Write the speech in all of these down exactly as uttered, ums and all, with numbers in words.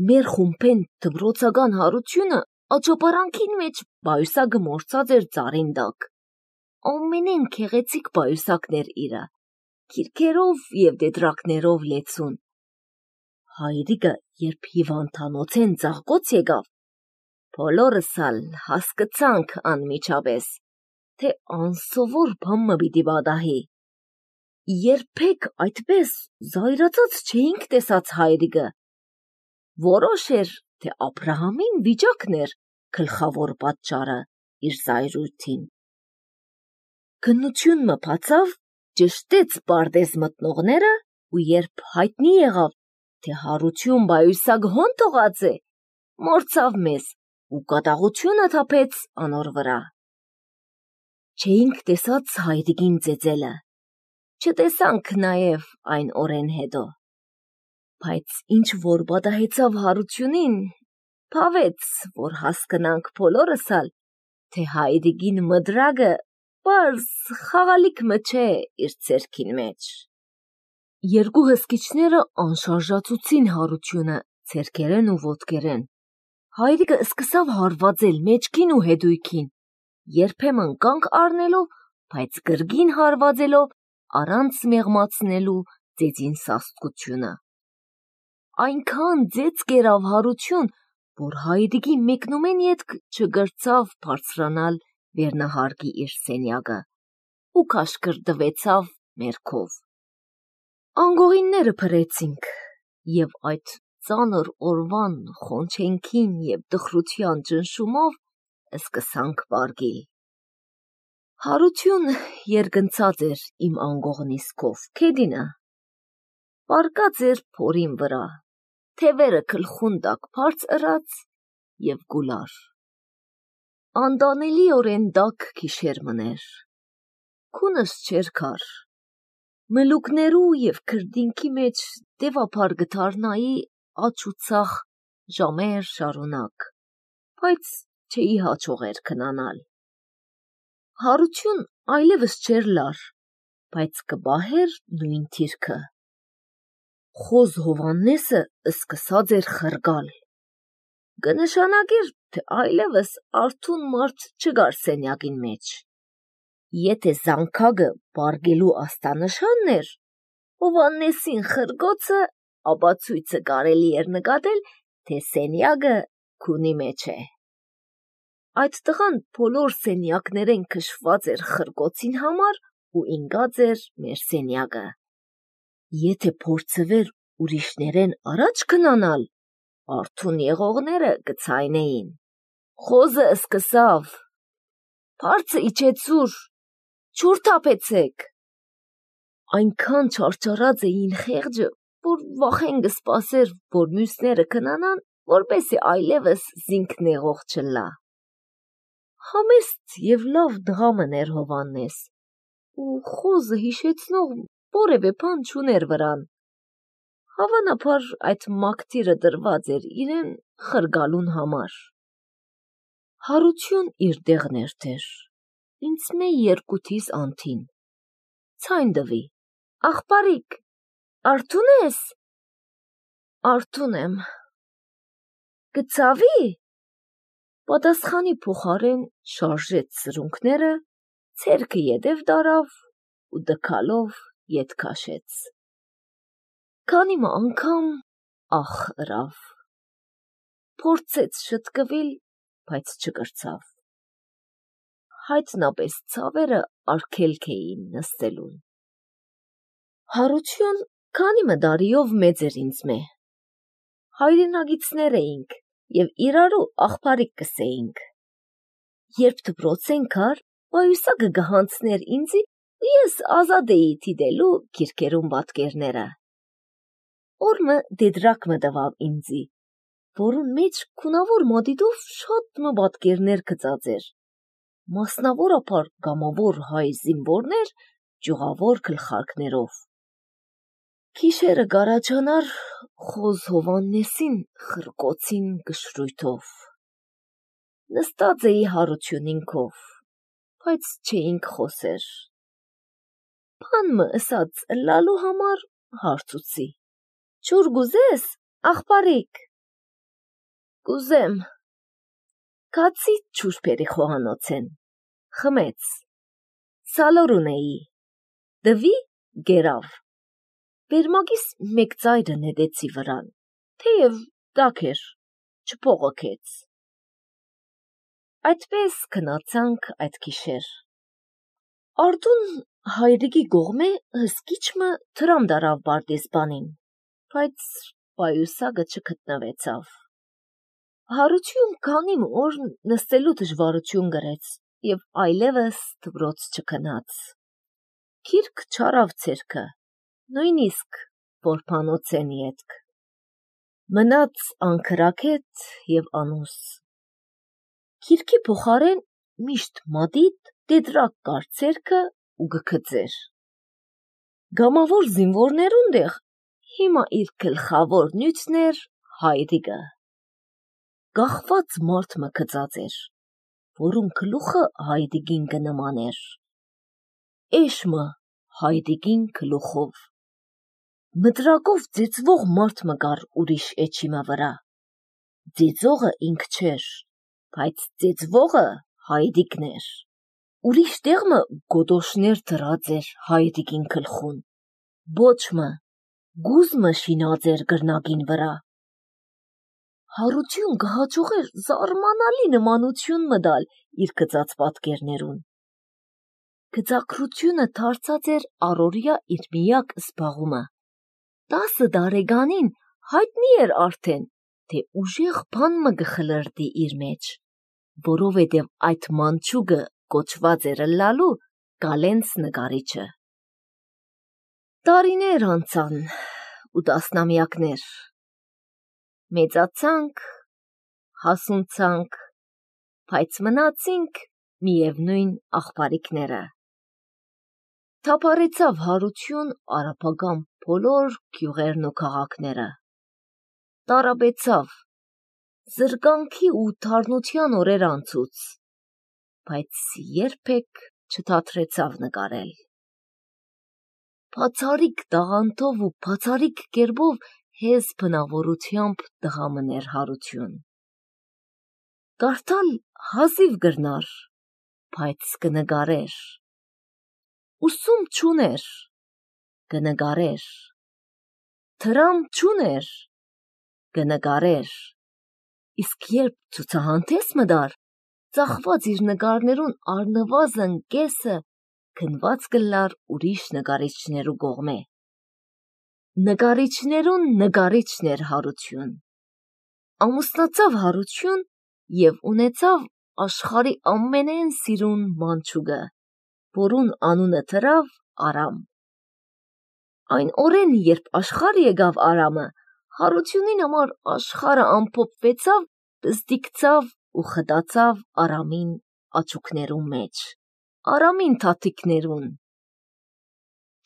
մեր խումբեն դպրոցական հարությունը աճապարանքին մեջ պայուսակը մորցած էր ծառին տակ։ Ամենեն քեղեցիկ պայուսակներ իրա, քիրքերով և դետրակներով լեցուն։ Հայրիկը երբ հիվանդանոցեն ծաղկոց եկավ, բոլորս ալ հասկացանք անմիջապես, թե անսովոր բան մը պիտի պատահի։ Երբեք այդպես զայրացած չէինք տեսած հայրիկը։ Որոշ էր, թե Աբրահամին վիճակն էր գլխավոր պատճառը իր զայրույթին։ Քննություն մը բացավ, ճշտեց պարտեզ մտնողները, ու երբ հայտնի եղավ, թե Հարություն պայուսակ հոն թողած է, մորցավ մեզ ու կատաղությունը թափեց անոր վրա։ Չէինք տեսած հայրիկին ծեծելը, չտեսանք նաև այն օրեն հետո, բայց ինչ որ պատահեցավ Հարությունին, փավեց, որ հասկնանք բոլորս ալ, թե հայրիկին մդրակը պարզ խաղալիք մը չէ իր ձեռքին մեջ։ Երկու հսկիչները անշարժացուցին Հարությունը ձեռքերեն ու ոտքերեն։ Հայրիկը սկսավ հարվածել մեջքին ու հետույքին, երբեմն կանգ առնելով, բայց կրկին հարվածելով առանց մեղմացնելու ծեծին սաստկությունը։ Այնքան ծեծ կերավ Հարություն, որ հայրիկի մեկնումեն ետք չգրցավ բարձրանալ վերնահարկի իր սենյակը ու քաշքրտվեցավ մերքով։ Անգողինները փրեցինք, և այդ ծանր օրվան խոնչենքին և տխրության ճնշումով սկսանք պարկիլ։ Հարություն երկնցած էր իմ անգողնիսկով, քեդինը, պարկած էր փորին վրա, թևերը գլխուն տակ բարձրած և գուլար։ Անտանելիորեն տաք գիշեր մըներ, քունս չէր գար, մլուկներու և քրդինքի մեջ դևափար կդառնայի աջ ու ցախ ժամեր շարունակ, բայց չէի հաջողեր քնանալ։ Հարություն այլևս չէր լար, բայց կպահեր նույն դիրքը։ Խոզ Հովհաննեսը սկսած էր խռկալ, կնշանակեր, թե այլևս արթուն մարդ չկար սենյակին մեջ։ Եթե զանգակը պառկելու աստանշանն էր, Հովհաննեսին խռկոցը ապացույցը կարելի էր նկատել, թե սենյակը քունի մեջ է։ Այդ տղան բոլոր սենյակներեն քշված էր խռկոցին համար ու ինկած էր մեր սենյակը։ Եթե փորձվեր ուրիշներեն առաջ քնանալ, արթուն եղողները կցայնեին։ Խոզը սկսավ. «Բարձը իջեցուր, ջուր թափեցեք»։ Այնքան չարչարած էին խեղճը, որ վախեն կսպասեր, որ մյուսները քնանան, որպեսզի այլևս զինք նեղող չլա։ Համեստ և լավ տղա մըն էր Հովհաննես, ու խոզը հիշեցնող որևէ բան չուներ վրան։ Հավանաբար այդ մակդիրը տրված էր իրեն խռկալուն համար։ Հարություն իր տեղն էր դեր, ինձ մե երկութիս անթին։ Ցայն տվի. «Աղբարիկ, արթո՞ւն ես»։ «Արթուն եմ»։ «Կցավի»։ Պատասխանի փոխարեն շարժեց սրունքները, ձեռքը ետև տարավ ու տքալով ետ քաշեց։ Քանի մը անգամ ախ ըրավ։ Փորձեց շտկվել, բայց չկրցավ։ Հայտնապես ցավերը արգելք էին նստելուն։ Հարություն քանի մը տարիով մեծ էր ինձ մե։ Հայրենակիցներ էինք և իրարու աղբարիկ կսեինք։ Երբ դպրոցեն գար, պայուսակը կհանձներ ինձի ու ես ազատ էի դիտելու քիրքերուն պատկերները։ Օր մը դետրակ մը տվավ ինձի, որուն մեջ քունավոր մատիտով շատ մը պատկերներ գծած էր, մասնավորապես կամավոր հայ զինվորներ ճյուղավոր գլխարկներով։ Գիշերը կառաջանար խոզ Հովհաննեսին խռկոցին կշռույթով։ Նստած էի Հարությունին քով, բայց չէինք խոսեր։ Բան մը ըսած ըլլալու համար հարցուցի. «Ջուր կուզես, աղբարիկ»։ Կուզեմ։ Կացի չուշպերի խոհանոցեն։ Խմեց։ Սալոր ունեի։ Դվի գերավ։ Բերմագիս մեկ ծայրը նետեցի վրան, թեև տաք էր, չփողոքեց։ Այդպես քնացանք այդ գիշեր։ Արդուն հայրիկի գողմե հսկիչմը թրամ դարավ Բարտեզբանին, բայց պայուսագը չգտնվեցավ։ Հարություն քանի օր նստելու դժվարություն գրեց և այլևս դպրոց չքնաց։ Քիրք չարավ ցերքը, նույնիսկ որբանոցեն ետք։ Մնաց անքրաքեթ և անուս։ Քիրքի փոխարեն միշտ մատիտ տետրակ կար ցերքը ու գքծեր։ Գամավոր զինվորներուն դեղ հիմա իր գլխավոր նյութն էր հայրիկը։ Գախված մարդ մը գծած էր, որուն գլուխը հայրիկին կնմաներ։ Էշմը հայրիկին գլուխով։ Մտրակով ծեծվող մարդ մը կար ուրիշ էջիմը վրա։ Ծեծողը ինք չէր, բայց ծեծվողը հայրիկն էր։ Ուրիշ տեղմը գոդոշներ դրած էր հայրիկին գլխուն։ Բոչմը, գուզմը շինած էր գրնագին վրա։ Հարություն կհաջողեր զարմանալի նմանություն մտալ իր գծած պատկերներուն։ Գծակրությունը դարձած էր առօրյա իր միակ զբաղումը։ Տասը տարեկանին հայտնի էր արդեն, թե ուժեղ բան մը կխլրտի իր մեջ, որովհետև այդ մանչուկը կոչված էր լալու Գալենց նկարիչը։ Տարիներ անցան ու տասնամյակներ։ Մեծացանք, հասունցանք, բայց մնացինք միևնույն աղբարիկները։ Թափառեցավ հարություն արաբական բոլոր գյուղերն ու քաղաքները։ Տարապեցավ, զրկանքի ու թարնության օրեր անցուց, բայց երբեք չթատրեցավ նկարել։ Բացարիք տաղանդով ու բացարիք կերպով հեզ բնավորությամբ տղամն էր հարություն։ Կարդալ հազիվ գրնար, բայց կնկարեր։ Ուսում չուներ, կնկարեր։ Թրամ չուներ, կնկարեր։ Իսկ երբ ցուցահանդես մտար, ծախված իր նկարներուն առնվազն կեսը գնված կլար ուրիշ նկարիչներու կողմե։ Նկարիչներուն նկարիչն էր հարություն։ Ամուսնացավ հարություն և ունեցավ աշխարի ամենեն սիրուն մանչուկը, որուն անունը դրավ Արամ։ Այն օրեն, երբ աշխարհ եկավ Արամը, հարությունին համար աշխարհը ամփոփվեցավ, բզդիկցավ ու խտացավ Արամին աչուկներուն մեջ, Արամին թաթիկներուն։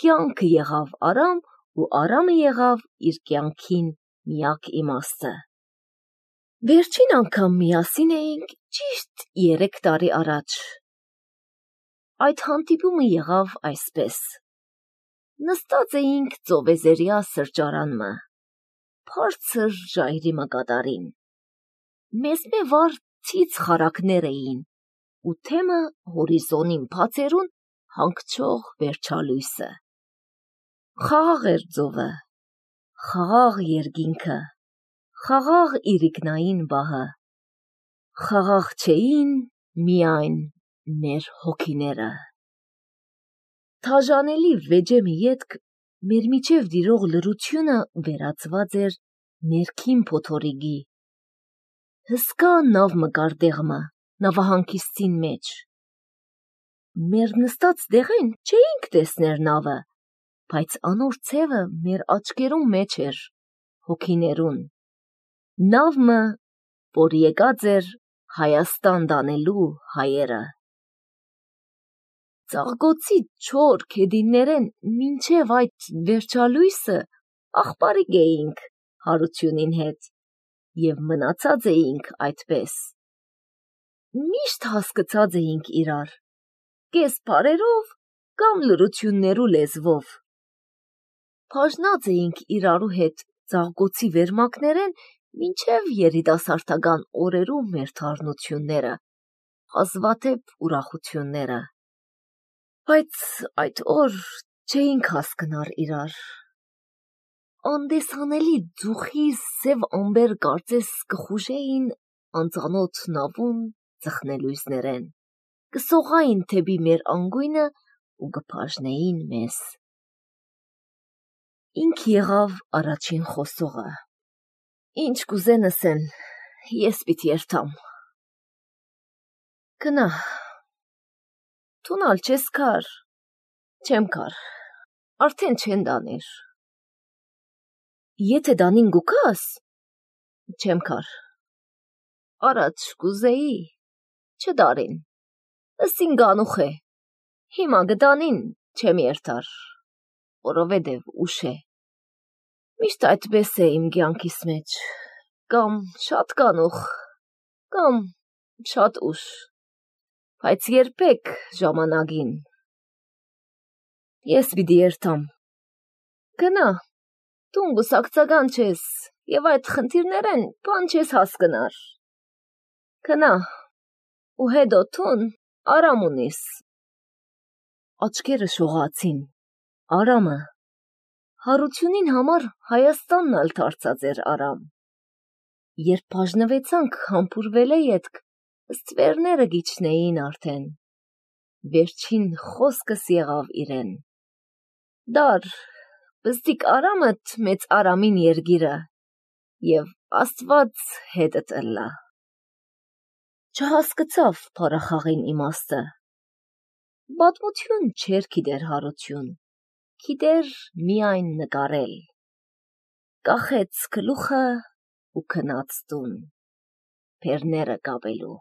Կյանքը եղավ Արամ ու Արամը եղավ իր կյանքին միակ իմաստը։ Վերջին անգամ միասին էինք ճիշտ երեք տարի առաջ։ Այդ հանդիպումը եղավ այսպես. նստած էինք ծովեզերյա սրճարանմը, բարձր ժայռի մկատարին։ Մեզ մե վար ցից խարակներ էին, ու թեմը հորիզոնին բացերուն հանգչող վերջալույսը։ Խաղաղ էր ծովը, խաղաղ երկինքը, խաղաղ իրիկնային բահը, խաղաղ չէին միայն մեր հոգիները։ Թաժանելի վեճեմի ետք մեր միջև տիրող լռությունը վերածված էր ներքին փոթորիկի։ Հսկա նավ մը կար տեղմը, նավահանգիստին մեջ։ Մեր նստած տեղեն չէինք տեսներ նավը, բայց անոր ցևը մեր աչքերուն մեջ էր, հոգիներուն։ Նավը, որ եկած էր Հայաստան տանելու հայերը։ Ծաղկոցի չոր քեդիներեն մինչև այդ վերջալույսը աղբարիկ էինք հարությունին հետ և մնացած էինք այդպես։ Միշտ հասկացած էինք իրար, կես բառերով կամ լռություններու լեզվով։ Բաժնած էինք իրարու հետ ծաղկոցի վերմակներեն մինչև երիտասարդական օրերում մեր թարնությունները, հազվադեպ ուրախությունները, բայց այդ օր չէինք հասկնար իրար, անդեսանելի ձուխի սև ամբեր կարծես կխուժեին անծանոթ նավուն ծխնելույզներեն, կսողային թեպի մեր անգույնը ու կբաժնեին մեզ։ Ինք եղավ առաջին խոսողը. «Ինչ կուզեն ասեն, ես պիտի երթամ»։ Գնա, թունալ չես կար, չեմ կար, արդեն չեն դանիր։ Եթե դանին գուքաս, չեմ կար, առաջ կուզեի, չդարին, ըսին գանուխ է, հիմա գդանին չեմ երթար, որովհետև ուշ է։ Միշտ այդպես է իմ կյանքիս մեջ, կամ շատ գանուխ, կամ շատ ուշ, բայց երբեք ժամանակին։ Ես պիտի երթամ։ Գնա, դու գուսակցական չես և այդ խնդիրներեն բան չես հասկնար։ Գնա, ու հետո թուն արամ ունիս։ Աչքերը շողացին, Արամը հարությունին համար Հայաստանն ալ դարձած էր Արամ։ Երբ բաժնվեցանք համբուրվել է ետք, ստվերները գիչնեին արդեն։ Վերջին խոսքս եղավ իրեն. դար, բզդիկ Արամըդ մեծ Արամին երգիրը, և Աստված հետդ ըլլա։ Չհասկացավ փառախաղին իմաստը։ Պատմություն չէր գիտեր հարություն, գիտեր միայն նկարել։ Կախեց գլուխը ու գնաց տուն, բեռները կապելու։